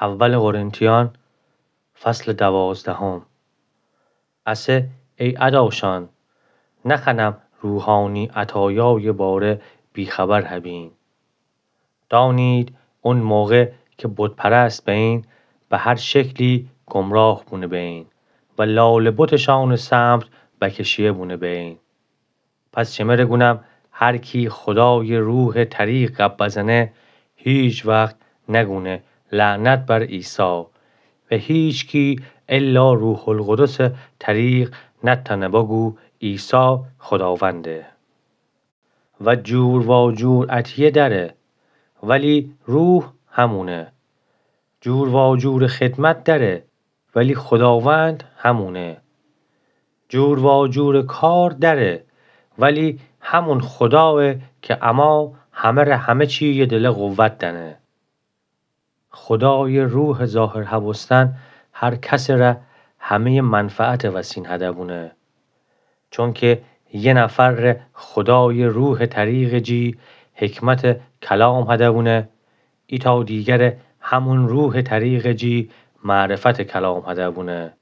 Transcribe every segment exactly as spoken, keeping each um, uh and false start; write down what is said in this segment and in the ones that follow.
اول قرنتیان، فصل دوازدهم. اسه ای اداشان، نخوأنم روحانی عطایای باره بی‌خبر هبین. دانید، اون موقع که بت‌پرست بین، به هر شکلی گمراه بونه بین و لال بتشان سمت بکشیه بونه بین. پس شمره گونم، هر کی خدای روح طریق گب بزنه، هیچ وقت نگونه لعنت بر عیسی. و هیچکی الا روح‌القدس طریق نتأنه بگو عیسی خداونده. و جور واجور عطیه دأره، ولی روح همونه. جور واجور خدمت دأره، ولی خداوند همونه. جور واجور کار دأره، ولی همون خدایه که اما همه‌ره همه چی یه دله قوت دأنه. خدای روح ظاهر هبوستن هر کسٚ ره همه‌یٚ منفعتٚ وسین هده بونه. چونکه یه نفرٚ خدای روحٚ طریقٚ جی حکمتٚ کلام هده بونه، ایتأ دیگره همون روحٚ طریقٚ جی معرفتٚ کلام هده بونه.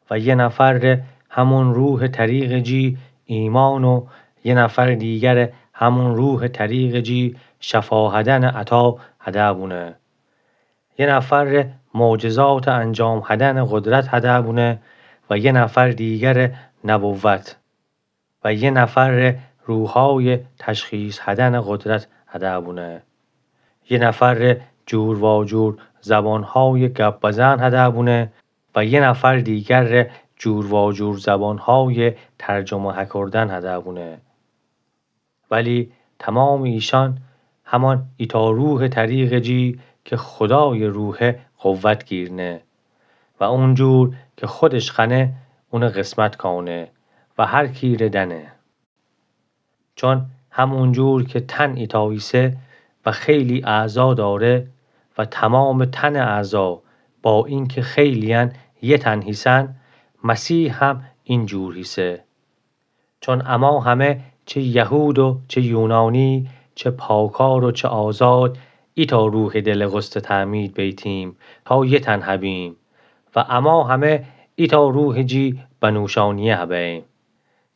و یه نفرٚ همون روحٚ طریقٚ جی ایمان و یه نفرٚ دیگره همون روحٚ طریقٚ جی شفا هدنٚ عطا هده بونه. یه نفرٚ معجزاتٚ انجام هدنٚ قدرت هده بونه و یه نفرٚ دیگره نبوت. و یه نفرٚ روحای تشخیص هدنٚ قدرت هده بونه. یه نفرٚ جور واجور زبانهای گب بزن هده بونه و یه نفرٚ دیگرٚ جور واجور زبانهای ترجمه هکردن هده بونه. ولی تمامٚ ایشان همان ایتأ روحٚ طریقٚ جی که خدایٚ روحه قوت گیرنه و اونجور که خودش خوأنه اونه قسمت کونه و هر کی ره دأنه. چون همونجور که تن ایتأ ایسه و خیلی اعضا داره و تمامٚ تنٚ اعضا با اینکه خیلی‌یأن یه تن هیسن، مسیح هم اینجور هیسه. چون اما همه، چه یهود و چه یونانی، چه پاکار و چه آزاد، ایتأ روحٚ دله غسلٚ تعمید بیتیم تا یه تن هبیم و اما همه ایتأ روحٚ جی بنوشانیه هبیم.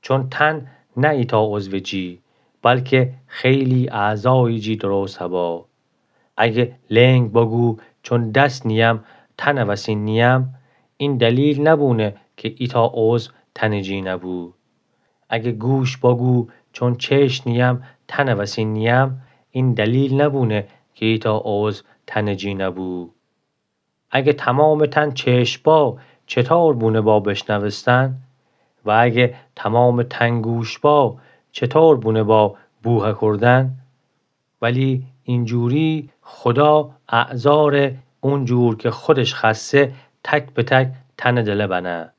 چون تن نه ایتأ عضوٚ جی، بلکه خیلی اعضایٚ جی درست هبه. اگه لنگ بگو چون دس نییم تنٚ وسین نییم، این دلیل نبونه که ایتأ عضو تنٚ جی نبو. اگه گوش بگو چون چشم نییم تنٚ وسین نییم، این دلیل نبونه که ایتأ عضو تنٚ جی نبو. اگه تمامٚ تن چشم با، چطور بونه با بشنوستن؟ و اگه تمامٚ تن گوش با، چطور بونه با بو هکردن؟ ولی اینجوری خدا اعضا ره اونجور که خودش خوأسته تک به تک تنٚ دله بنه.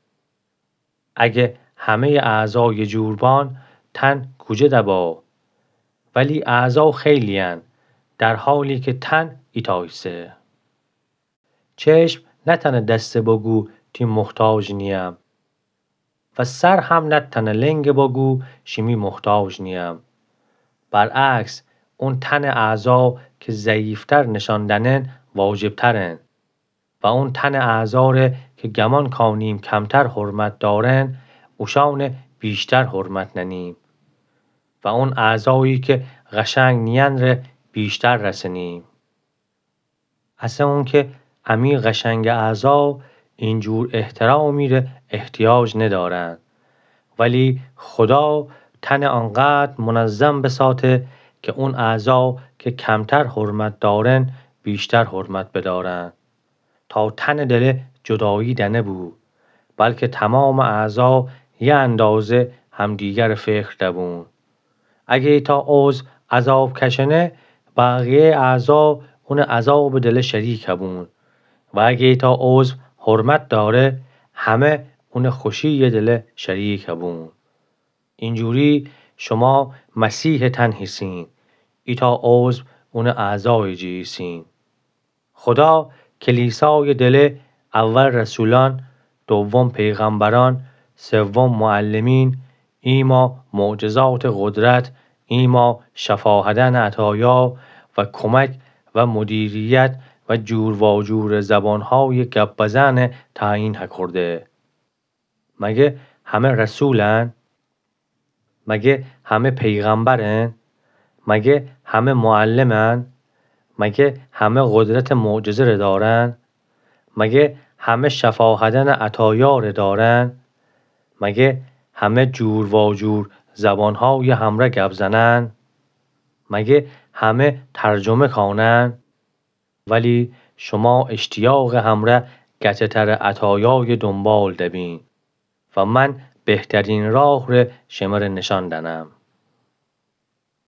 اگه همه‌یٚ اعضا یه جور بان، تن کوجه دبا؟ ولی اعضا خیلی‌یأن، در حالی که تن ایتأ ایسه. چشم نتأنه دسته بگو تی محتاج نییم و سر هم نتأنه لنگه بگو شیمی محتاج نییم. برعکس، اون تنٚ اعضا که ضعیفتر نشان دأنن واجبترن و اون تنٚ اعضا ره که گمان کانیم کمتر حرمت دارن، اوشانه بیشتر حرمت ننیم و اون اعضایی که قشنگ نیین ره بیشتر رسنیم. اسه اونکه امی قشنگٚ اعضا اینجور احترامی ره احتیاج ندارن، ولی خدا تنٚ آنقدر منظم بساته که اون اعضا که کمتر حرمت دارن بیشتر حرمت بدارن، تا تنٚ دله جدایی دنبو، بلکه تمامٚ اعضا یه اندازه همدیگرٚ فکر دبون. اگه ایتأ عضو عذاب کشنه، بقیه‌یٚ اعضا اونٚ عذابٚ دله شریک هبون و اگه ایتأ عضو حرمت داره، همه اونٚ خوشی‌یٚ دله شریک هبون. اینجوری شما مسیحٚ تن هیسین، ایتأ عضو اونٚ اعضایٚ جی هیسین. خدا کلیسایٚ دله اول رسولان، دوم پیغمبران، سوم معلمین، ایما معجزاتٚ قدرت، ایما شفا هدنٚ عطایا و کمک و مدیریت و جور واجور زبانهای گپ بزن تعیین هکرده. مگه همه رسولن؟ مگه همه پیغمبرن؟ مگه همه معلمن؟ مگه همه قدرت معجزه ره دارن؟ مگه همه شفاهدن عطایا ره دارن؟ مگه همه جور واجور زبانهای همره گپ زنن؟ مگه همه ترجمه کانن؟ ولی شما اشتیاق همره گچتر عطایای دنبال دبین و من بهترین راه ره شمره نشان دنم.